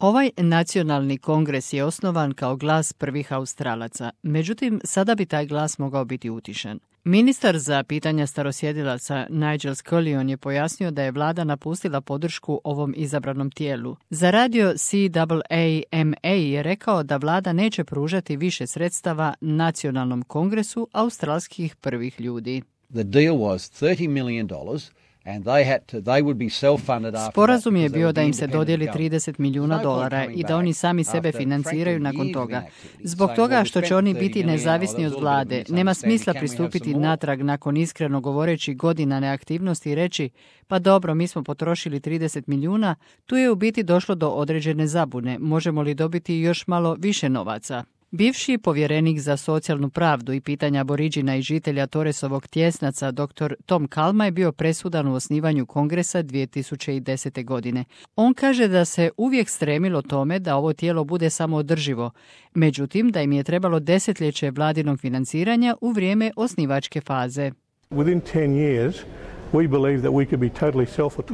Ovaj nacionalni kongres je osnovan kao glas prvih Australaca, međutim sada bi taj glas mogao biti utišan. Ministar za pitanja starosjedilaca Nigel Scullion je pojasnio da je vlada napustila podršku ovom izabranom tijelu. Za radio CAAMA je rekao da vlada neće pružati više sredstava nacionalnom kongresu australskih prvih ljudi. The deal was $30 million. Sporazum je bio da im se dodijeli $30 milijuna i da oni sami sebe financiraju nakon toga. Zbog toga što će oni biti nezavisni od vlade, nema smisla pristupiti natrag nakon iskreno govoreći godina neaktivnosti i reći pa dobro, mi smo potrošili 30 milijuna, tu je u biti došlo do određene zabune, možemo li dobiti još malo više novaca? Bivši povjerenik za socijalnu pravdu i pitanja aboriđina i žitelja Torresovog tjesnaca dr. Tom Calma je bio presudan u osnivanju kongresa 2010. godine. On kaže da se uvijek stremilo tome da ovo tijelo bude samoodrživo, međutim da im je trebalo desetljeće vladinog financiranja u vrijeme osnivačke faze.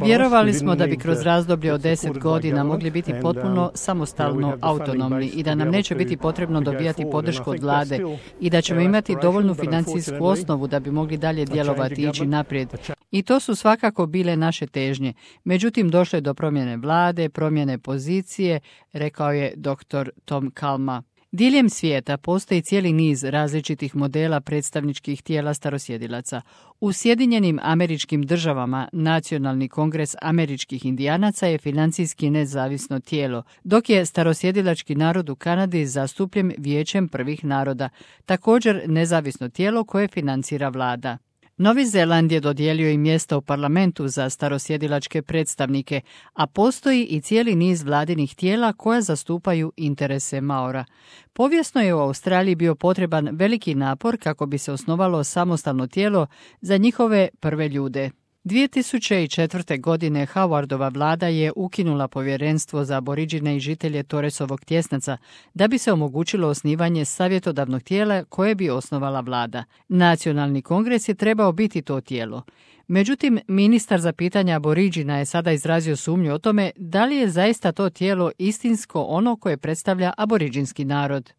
Vjerovali smo da bi kroz razdoblje od 10 godina mogli biti potpuno samostalno autonomni i da nam neće biti potrebno dobijati podršku od vlade i da ćemo imati dovoljnu financijsku osnovu da bi mogli dalje djelovati i ići naprijed. I to su svakako bile naše težnje. Međutim, došlo je do promjene vlade, promjene pozicije, rekao je dr. Tom Calma. Diljem svijeta postoji cijeli niz različitih modela predstavničkih tijela starosjedilaca. U Sjedinjenim Američkim Državama Nacionalni kongres američkih indijanaca je financijski nezavisno tijelo, dok je starosjedilački narod u Kanadi zastupljen Vijećem prvih naroda, također nezavisno tijelo koje financira vlada. Novi Zeland je dodijelio i mjesta u parlamentu za starosjedilačke predstavnike, a postoji i cijeli niz vladinih tijela koja zastupaju interese Maora. Povijesno je u Australiji bio potreban veliki napor kako bi se osnovalo samostalno tijelo za njihove prve ljude. 2004. godine Howardova vlada je ukinula povjerenstvo za aboriđine i žitelje Torresovog tjesnaca da bi se omogućilo osnivanje savjetodavnog tijela koje bi osnovala vlada. Nacionalni kongres je trebao biti to tijelo. Međutim, ministar za pitanja aboriđina je sada izrazio sumnju o tome da li je zaista to tijelo istinsko ono koje predstavlja aboriđinski narod.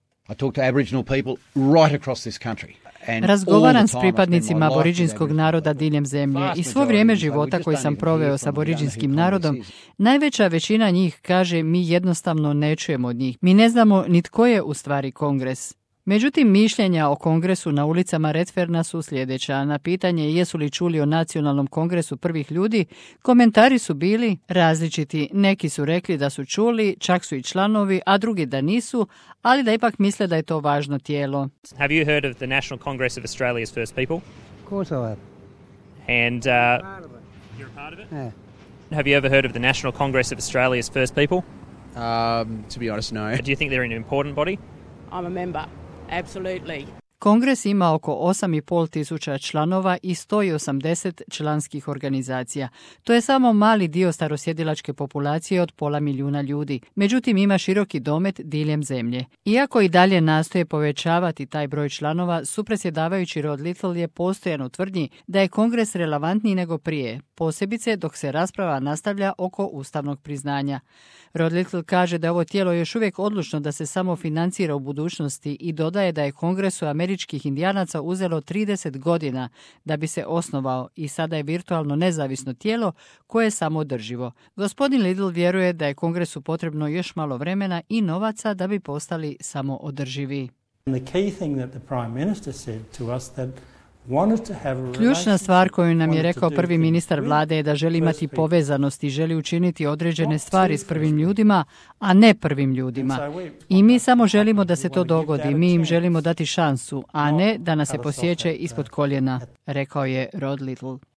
Razgovaram s pripadnicima aboriđinskog naroda diljem zemlje i svo vrijeme života koji sam proveo s aboriđinskim narodom, najveća većina njih kaže mi jednostavno ne čujemo od njih. Mi ne znamo ni tko je u stvari kongres. Međutim, mišljenja o kongresu na ulicama Redferna su sljedeća. Na pitanje jesu li čuli o nacionalnom kongresu prvih ljudi, komentari su bili različiti. Neki su rekli da su čuli, čak su i članovi, a drugi da nisu, ali da ipak misle da je to važno tijelo. Have you heard of the National Congress of Australia's First People? Of course I have. And you're a part of it? Yeah. Have you ever heard of the National Congress of Australia's First People? To be honest, no. Do you think they're an important body? I'm a member. Absolutely. Kongres ima oko 8,5 tisuća članova i 180 članskih organizacija. To je samo mali dio starosjedilačke populacije od 500 milijuna ljudi. Međutim, ima široki domet diljem zemlje. Iako i dalje nastoje povećavati taj broj članova, supredsjedavajući Rod Little je postojan u tvrdnji da je kongres relevantniji nego prije, posebice dok se rasprava nastavlja oko ustavnog priznanja. Rod Little kaže da je ovo tijelo još uvijek odlučno da se samo financira u budućnosti i dodaje da je kongresu američkih indijanaca uzelo 30 godina da bi se osnovao i sada je virtualno nezavisno tijelo koje je samoodrživo. Gospodin Little vjeruje da je kongresu potrebno još malo vremena i novaca da bi postali samoodrživi. Ključna stvar koju nam je rekao prvi ministar vlade je da želi imati povezanost i želi učiniti određene stvari s prvim ljudima, a ne prvim ljudima. I mi samo želimo da se to dogodi, mi im želimo dati šansu, a ne da nas se posjeće ispod koljena, rekao je Rod Little.